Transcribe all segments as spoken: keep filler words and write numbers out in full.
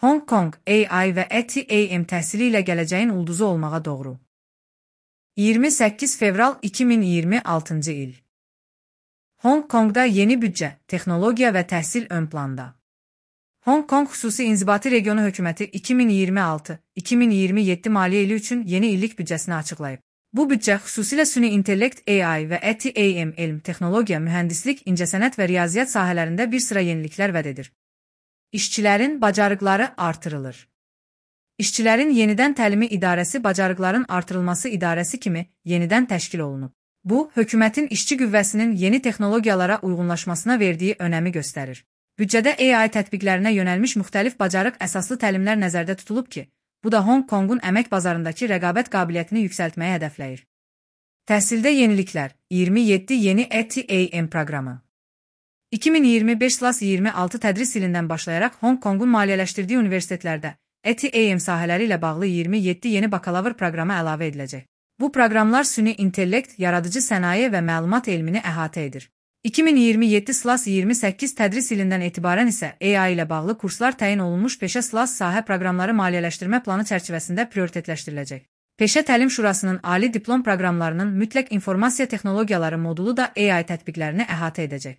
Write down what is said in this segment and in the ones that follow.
Hong Kong A I və E T A M təhsili ilə gələcəyin ulduzu olmağa doğru. iyirmi səkkiz fevral iki min iyirmi altıncı il. Hong Kongda yeni büdcə, texnologiya və təhsil ön planda. Hong Kong Xüsusi İnzibati Regionu Hökuməti iki min iyirmi altı iki min iyirmi yeddi maliyyə ili üçün yeni illik büdcəsini açıqlayıb. Bu büdcə xüsusilə süni intellekt A I və E T A M elm, texnologiya, mühəndislik, incəsənət və riyaziyyat sahələrində bir sıra yeniliklər vəd edir. İşçilərin bacarıqları artırılır. İşçilərin Yenidən Təlimi İdarəsi Bacarıqların Artırılması İdarəsi kimi yenidən təşkil olunub. Bu, hökumətin işçi qüvvəsinin yeni texnologiyalara uyğunlaşmasına verdiyi önəmi göstərir. Büdcədə A I tətbiqlərinə yönəlmiş müxtəlif bacarıq əsaslı təlimlər nəzərdə tutulub ki, bu da Hong Kongun əmək bazarındakı rəqabət qabiliyyətini yüksəltməyə hədəfləyir. Təhsildə yeniliklər, iyirmi yeddi yeni E T A M proqramı. iki min iyirmi beş iyirmi altı tədris ilindən başlayaraq Hong Kongun maliyyələşdirdiyi universitetlərdə E T A M sahələri ilə bağlı iyirmi yeddi yeni bakalavr proqramı əlavə ediləcək. Bu proqramlar süni intellekt, yaradıcı sənaye və məlumat elmini əhatə edir. iki min iyirmi yeddi iyirmi səkkiz tədris ilindən etibarən isə A I ilə bağlı kurslar təyin olunmuş peşə sahə proqramları maliyyələşdirmə planı çərçivəsində prioritetləşdiriləcək. Peşə Təlim Şurasının ali diplom proqramlarının mütləq informasiya texnologiyaları modulu da A I tətbiqlərini əhatə edəcək.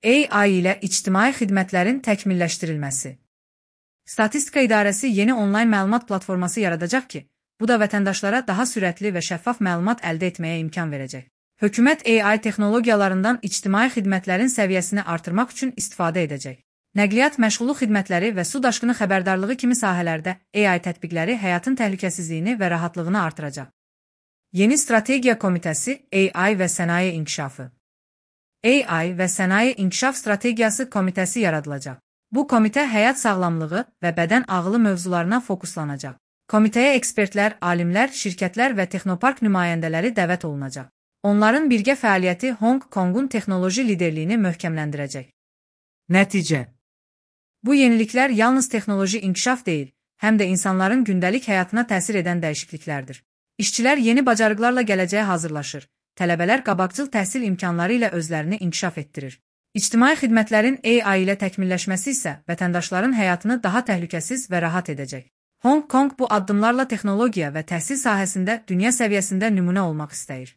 A I ilə ictimai xidmətlərin təkmilləşdirilməsi. Statistika İdarəsi yeni onlayn məlumat platforması yaradacaq ki, bu da vətəndaşlara daha sürətli və şəffaf məlumat əldə etməyə imkan verəcək. Hökumət A I texnologiyalarından ictimai xidmətlərin səviyyəsini artırmaq üçün istifadə edəcək. Nəqliyyat məşğulluq xidmətləri və su daşqını xəbərdarlığı kimi sahələrdə A I tətbiqləri həyatın təhlükəsizliyini və rahatlığını artıracaq. Yeni Strategiya Komitəsi A I və Sənaye İnkişafı. A I və Sənaye İnkişaf Strategiyası Komitəsi yaradılacaq. Bu komitə həyat sağlamlığı və bədən ağılı mövzularına fokuslanacaq. Komitəyə ekspertlər, alimlər, şirkətlər və texnopark nümayəndələri dəvət olunacaq. Onların birgə fəaliyyəti Hong Kongun texnoloji liderliyini möhkəmləndirəcək. Nəticə. Bu yeniliklər yalnız texnoloji inkişaf deyil, həm də insanların gündəlik həyatına təsir edən dəyişikliklərdir. İşçilər yeni bacarıqlarla gələcəyə hazırlaşır. Tələbələr qabaqcıl təhsil imkanları ilə özlərini inkişaf etdirir. İctimai xidmətlərin A I ilə təkmilləşməsi isə vətəndaşların həyatını daha təhlükəsiz və rahat edəcək. Hong Kong bu addımlarla texnologiya və təhsil sahəsində dünya səviyyəsində nümunə olmaq istəyir.